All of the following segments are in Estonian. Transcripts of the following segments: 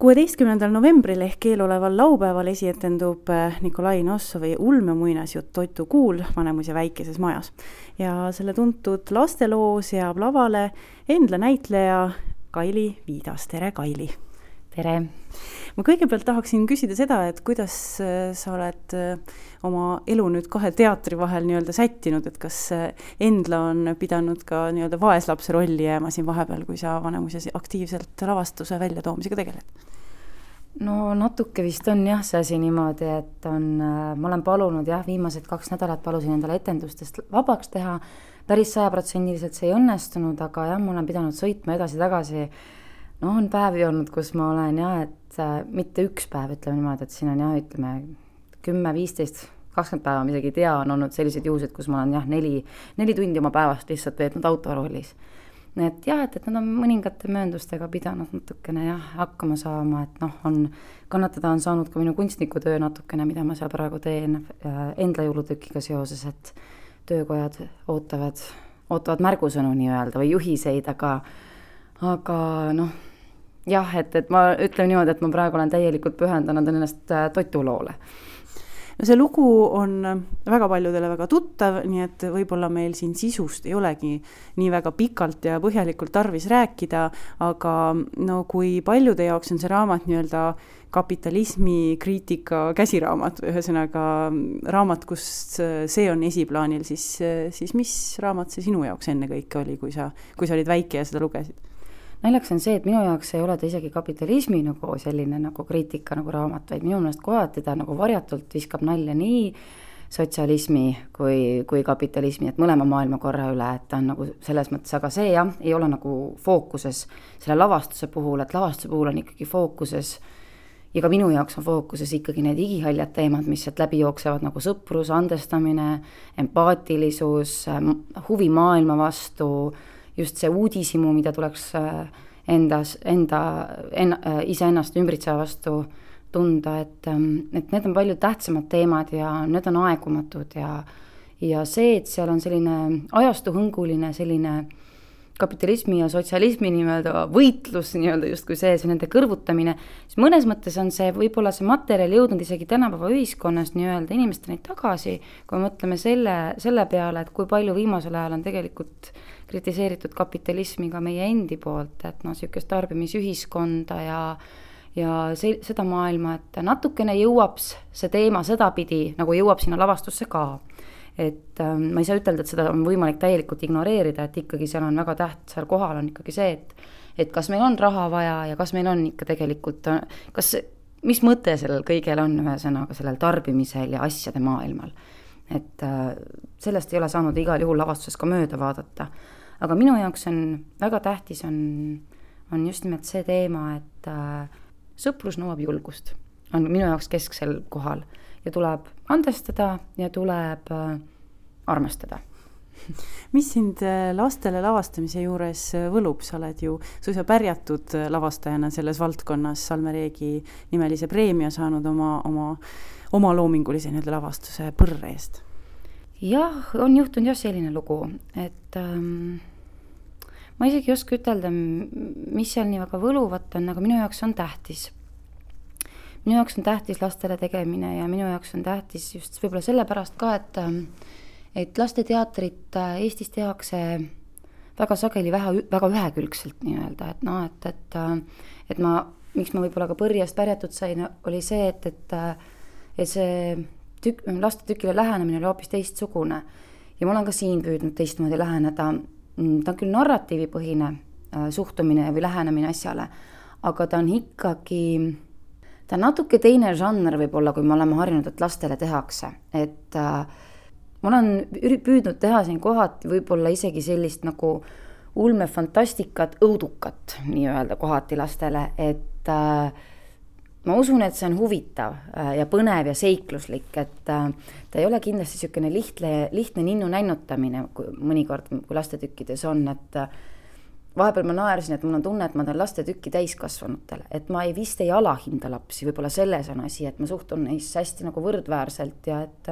16. novembril ehk eeloleval laupäeval esietendub Nikolai Nossovi ulmemuinasjutt Toitu kuul Vanemuise väikeses majas. Ja selle tuntud lasteloo seab lavale Endla näitleja Kaili Viidas. Tere, Kaili! Tere! Ma kõigepealt tahaksin küsida seda, et kuidas sa oled oma elu nüüd kahe teatri vahel nii-öelda sättinud, et kas Endla on pidanud ka nii-öelda vaeslapse rolli jääma siin vahepeal, kui sa Vanemuises aktiivselt lavastuse väljatoomisega tegeled? No natuke vist on jah see asi niimoodi, et ma olen palunud viimased 2 nädalat palusin endale etendustest vabaks teha. Päris 100% see ei õnnestunud, aga ma olen pidanud sõitma edasi-tagasi. No on päevi olnud, kus ma olen et mitte üks päev, ütleme niimoodi, et siin on ütleme 10, 15, 20 päeva, ma isegi ei tea, on olnud sellised juhused, kus ma olen 4 tundi oma päevast lihtsalt veetnud autoroolis. Et nad on mõningate mööndustega pidanud natukene hakkama saama, et kannatada on saanud ka minu kunstnikutöö natukene, mida ma seal praegu teen Endla jõulutükiga seoses, et töökojad ootavad märgusõnu nii-öelda või juhiseid, aga et ma ütlen niimoodi, et ma praegu olen täielikult pühendanud ennast toituloole. No see lugu on väga paljudele väga tuttav, nii et võib-olla meil siin sisust ei olegi nii väga pikalt ja põhjalikult tarvis rääkida, aga kui paljude jaoks on see raamat nii-öelda kapitalismi kriitika käsiraamat, ühesõnaga raamat, kus see on esiplaanil, siis mis raamat see sinu jaoks enne kõike oli, kui sa olid väike ja seda lugesid? Naljaks on see, et minu jaoks ei ole ta isegi kapitalismi selline kriitika raamat, vaid minu meelest kohati ta varjatult viskab nalja nii sotsialismi kui kapitalismi, et mõlema maailmakorra üle, et ta on selles mõttes, aga see ei ole fookuses selle lavastuse puhul, et lavastuse puhul on ikkagi fookuses ja ka minu jaoks on fookuses ikkagi need igihaljad teemad, mis sealt läbi jooksevad sõprus, andestamine, empaatilisus, huvi maailma vastu, just see uudisimu, mida tuleks iseennast ümbritseva vastu tunda, et need on palju tähtsamad teemad ja need on aegumatud ja see, et seal on selline ajastuhõnguline selline kapitalismi ja sotsialismi nii-öelda võitlus, justkui see nende kõrvutamine, siis mõnes mõttes on see võib-olla see materjal jõudnud isegi tänapäeva ühiskonnas nii-öelda inimesteni tagasi, kui mõtleme selle peale, et kui palju viimasel ajal on tegelikult kritiseeritud kapitalismi ka meie endi poolt, et sihukest tarbimisühiskonda ja seda maailma, et natukene jõuab see teema sedapidi, nagu jõuab sinna lavastusse ka. Et ma ei saa ütelda, et seda on võimalik täielikult ignoreerida, et ikkagi seal on väga seal kohal on ikkagi see, et kas meil on raha vaja ja kas meil on ikka tegelikult, mis mõte sellel kõigel on ühesõnaga sellel tarbimisel ja asjade maailmal. Et sellest ei ole saanud igal juhul lavastuses ka mööda vaadata. Aga minu jaoks on väga tähtis on just nimelt see teema, et sõprus nõuab julgust. On minu jaoks kesksel kohal ja tuleb andestada ja tuleb armastada. Mis sind lastele lavastamise juures võlub? Sa oled ju suisa pärjatud lavastajana selles valdkonnas, Salme Reegi nimelise preemia saanud oma loomingulise lavastuse Põrre eest. Jah, on juhtunud selline lugu, et ma isegi ei oska ütelda, mis seal nii väga võluvat on, aga minu jaoks on tähtis. Minu jaoks on tähtis lastele tegemine ja minu jaoks on tähtis just võib-olla sellepärast ka, et lasteteatrit Eestis tehakse väga sageli väga ühekülgselt nii-öelda, et miks ma võib-olla ka Põrjast pärjatud sain, oli see, et see lastetükile lähenemine oli hoopis teistsugune ja ma olen ka siin püüdnud teistmoodi läheneda. Ta on küll narratiivipõhine suhtumine või lähenemine asjale, aga ta on ikkagi ta on natuke teine žanr võib-olla, kui me oleme harjunud, et lastele tehakse. Et ma olen püüdnud teha siin kohati võib-olla isegi sellist ulmefantastikat, õudukat nii-öelda kohati lastele, et ma usun, et see on huvitav ja põnev ja seikluslik, et ta ei ole kindlasti niisugune lihtne ninnu nännutamine, mõnikord kui lastetükkides on, et vahepeal ma naersin, et mul on tunne, et ma teen lastetükki täiskasvanutele, et ma vist ei alahinda lapsi, võib-olla selles on asi, et ma suhtun neisse hästi võrdväärselt ja et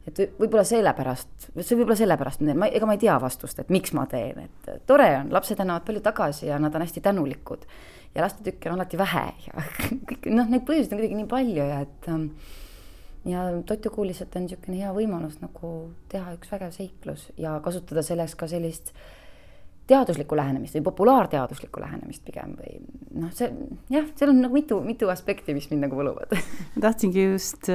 et võib-olla sellepärast, ega ma ei tea vastust, et miks ma teen, et tore on, lapsed annavad palju tagasi ja nad on hästi tänulikud ja lastetükke on alati vähe ja kõik, neid põhjuseid on kuidagi nii palju ja Totu Kool lihtsalt on niisugune hea võimalus nagu teha üks vägev seiklus ja kasutada selleks ka sellist teaduslikku lähenemist või populaarteaduslikku lähenemist pigem või seal on nagu mitu aspekti, mis mind nagu võluvad. Ma tahtsingi just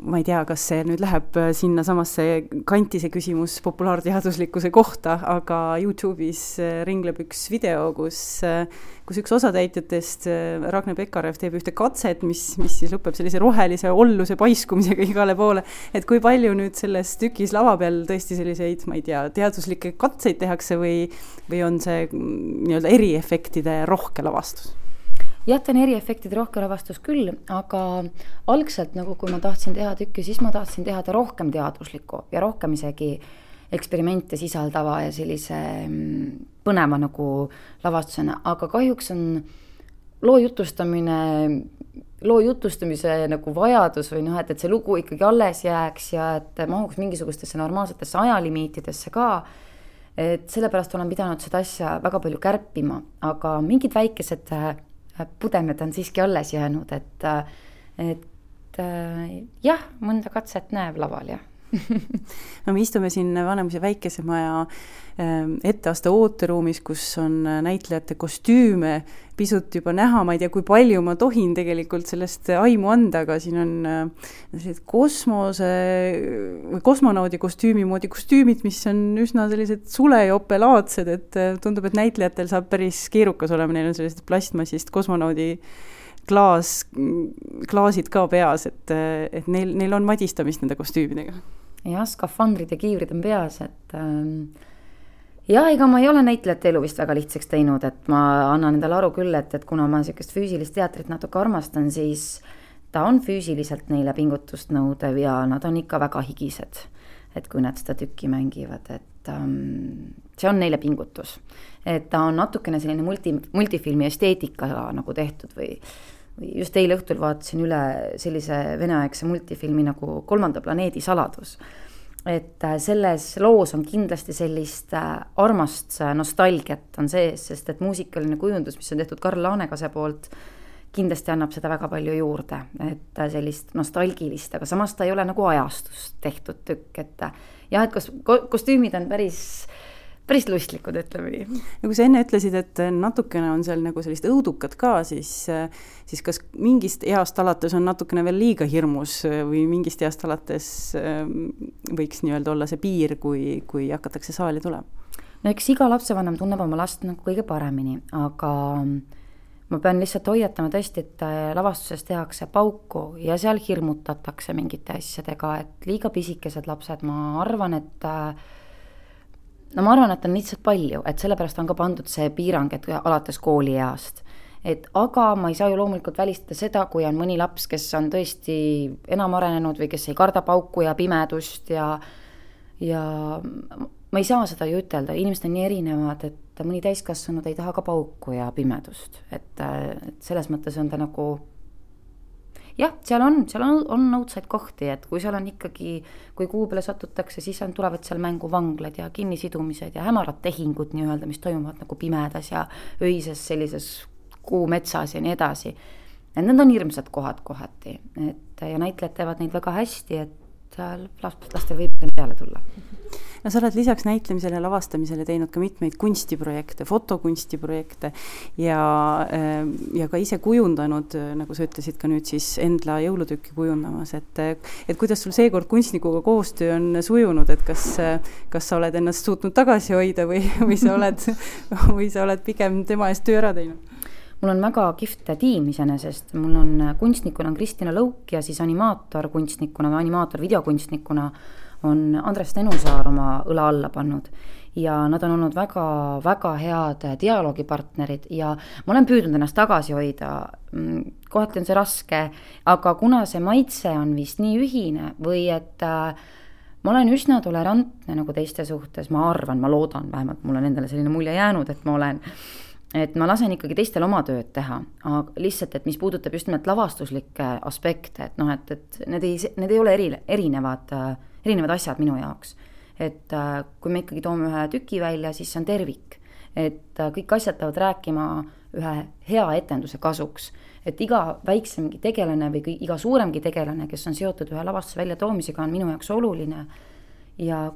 ma ei tea, kas see nüüd läheb sinna samasse kanti see küsimus populaarteaduslikkuse kohta, aga YouTube'is ringleb üks video, kus üks osatäitjatest, Ragne Pekarev, teeb ühte katset, mis siis lõpeb sellise rohelise olluse paiskumisega igale poole. Et kui palju nüüd selles tükis lava peal tõesti selliseid, ma ei tea, teaduslikke katseid tehakse või on see nii-öelda eriefektide rohke lavastus? Jah, ta on eriefektide rohke lavastus küll, aga algselt, nagu kui ma tahtsin teha tükki, siis ma tahtsin teha ta rohkem teaduslikku ja rohkem isegi eksperimente sisaldava ja sellise põneva nagu lavastusena, aga kahjuks on loo jutustamise nagu vajadus või et see lugu ikkagi alles jääks ja et mahuks mingisugustesse normaalsetesse ajalimiitidesse ka, et sellepärast olen pidanud seda asja väga palju kärpima, aga mingid väikesed pudemed on siiski alles jäänud, et jah, mõnda katset näeb laval, jah. No me istume siin Vanemuise väikesemaja etteaste ooteruumis, kus on näitlejate kostüüme pisut juba näha, ma ei tea, kui palju ma tohin tegelikult sellest aimu anda, aga siin on kosmonaudi kostüümi moodi kostüümid, mis on üsna sellised sulejopelaadsed, et tundub, et näitlejatel saab päris keerukas olema, neil on sellised plastmassist kosmonaudi klaasid ka peas, et neil on madistamist nende kostüümidega. Jah, skafandrid ja kiivrid on peas, et ega ma ei ole näitlejate elu vist väga lihtsaks teinud, et ma annan endale aru küll, et kuna ma niisugust füüsilist teatrit natuke armastan, siis ta on füüsiliselt neile pingutust nõudev ja nad on ikka väga higised, et kui nad seda tükki mängivad, et see on neile pingutus. Et ta on natukene selline multifilmi esteetika nagu tehtud või just eile õhtul vaatasin üle sellise veneaegse multifilmi nagu Kolmanda planeedi saladus. Et selles loos on kindlasti sellist armast nostalgiat on sees, sest et muusikaline kujundus, mis on tehtud Karl Laanekase poolt, kindlasti annab seda väga palju juurde, et sellist nostalgilist, aga samas ta ei ole nagu ajastust tehtud tükk, et jah, et kostüümid on päris lustlikud, ütleme nii. Ja kui sa enne ütlesid, et natukene on seal nagu sellist õudukat ka, siis kas mingist east alates on natukene veel liiga hirmus või mingist east alates võiks nii-öelda olla see piir, kui hakatakse saali tulema? No eks iga lapsevanem tunneb oma last nagu kõige paremini, aga ma pean lihtsalt hoiatama tõesti, et lavastuses tehakse pauku ja seal hirmutatakse mingite asjadega, et liiga pisikesed lapsed, ma arvan, et on lihtsalt palju, et sellepärast on ka pandud see piirang, et alates koolieast. Aga ma ei saa ju loomulikult välistada seda, kui on mõni laps, kes on tõesti enam arenenud või kes ei karda pauku ja pimedust ja ma ei saa seda ju ütelda, inimesed on nii erinevad, et mõni täiskasvanud ei taha ka pauku ja pimedust, et selles mõttes on ta nagu jah, seal on õudsaid kohti, et kui seal on ikkagi, kui kuu peale satutakse, siis tulevad seal mängu vanglad ja kinnisidumised ja hämarad tehingud nii-öelda, mis toimuvad nagu pimedas ja öises sellises kuumetsas ja nii edasi. Et need on hirmsad kohad kohati, ja näitlejad teevad neid väga hästi, et lastel võib peale tulla. No sa oled lisaks näitlemisele ja lavastamisele teinud ka mitmeid kunstiprojekte, fotokunstiprojekte ja ka ise kujundanud, nagu sa ütlesid ka nüüd siis Endla jõulutükki kujundamas, et kuidas sul seekord kunstnikuga koostöö on sujunud, et kas sa oled ennast suutnud tagasi hoida või sa oled pigem tema eest töö ära teinud? Mul on väga kihvt tiim iseenesest, mul on kunstnikuna Kristina Lõuk ja siis animaator videokunstnikuna on Andres Tenusaar oma õla alla pannud ja nad on olnud väga, väga head dialoogipartnerid ja ma olen püüdnud ennast tagasi hoida, kohati on see raske, aga kuna see maitse on vist nii ühine või et ma olen üsna tolerantne nagu teiste suhtes, ma arvan, ma loodan, vähemalt mul on endale selline mulje jäänud, et ma olen, et ma lasen ikkagi teistel oma tööd teha, aga lihtsalt, et mis puudutab just nimelt lavastuslikke aspekte, et noh, et need ei ole erinevad asjad minu jaoks. Et kui me ikkagi toome ühe tüki välja, siis see on tervik. Et kõik asjad peavad rääkima ühe hea etenduse kasuks. Et iga väiksemgi tegelane või iga suuremgi tegelane, kes on seotud ühe lavastuse välja toomisega, on minu jaoks oluline. Ja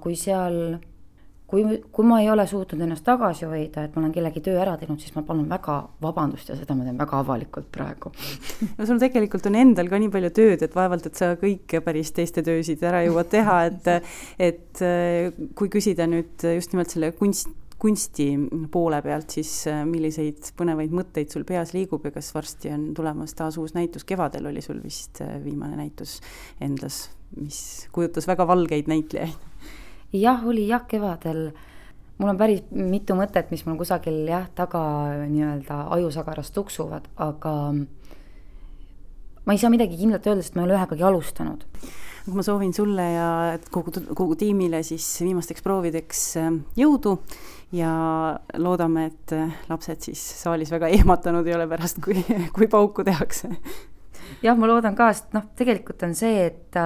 kui ma ei ole suutnud ennast tagasi hoida, et ma olen kellegi töö ära teinud, siis ma palun väga vabandust ja seda ma teen väga avalikult praegu. No sul tegelikult on endal ka nii palju tööd, et vaevalt, et sa kõik päris teiste töösid ära jõuad teha, et kui küsida nüüd just nimelt selle kunsti poole pealt, siis milliseid põnevaid mõtteid sul peas liigub ja kas varsti on tulemas taas uus näitus? Kevadel oli sul vist viimane näitus endas, mis kujutas väga valgeid näitlejaid. Jah, kevadel. Mul on päris mitu mõtet, mis mul kusagil taga nii-öelda ajusagaras tuksuvad, aga ma ei saa midagi kindlalt öelda, sest ma ei ole ühegagi alustanud. Ma soovin sulle ja kogu tiimile siis viimasteks proovideks jõudu ja loodame, et lapsed siis saalis väga ehmatanud ei ole pärast, kui pauku tehakse. Jah, ma loodan ka, sest tegelikult on see, et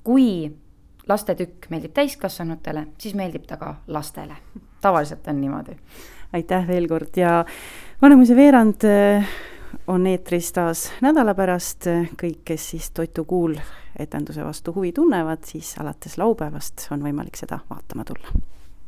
kui lastetükk meeldib täiskasvanutele, siis meeldib ta ka lastele. Tavaliselt on niimoodi. Aitäh veel kord ja Vanemuise veerand on eetris taas nädala pärast. Kõik, kes siis Toitu Kuul etenduse vastu huvi tunnevad, siis alates laupäevast on võimalik seda vaatama tulla.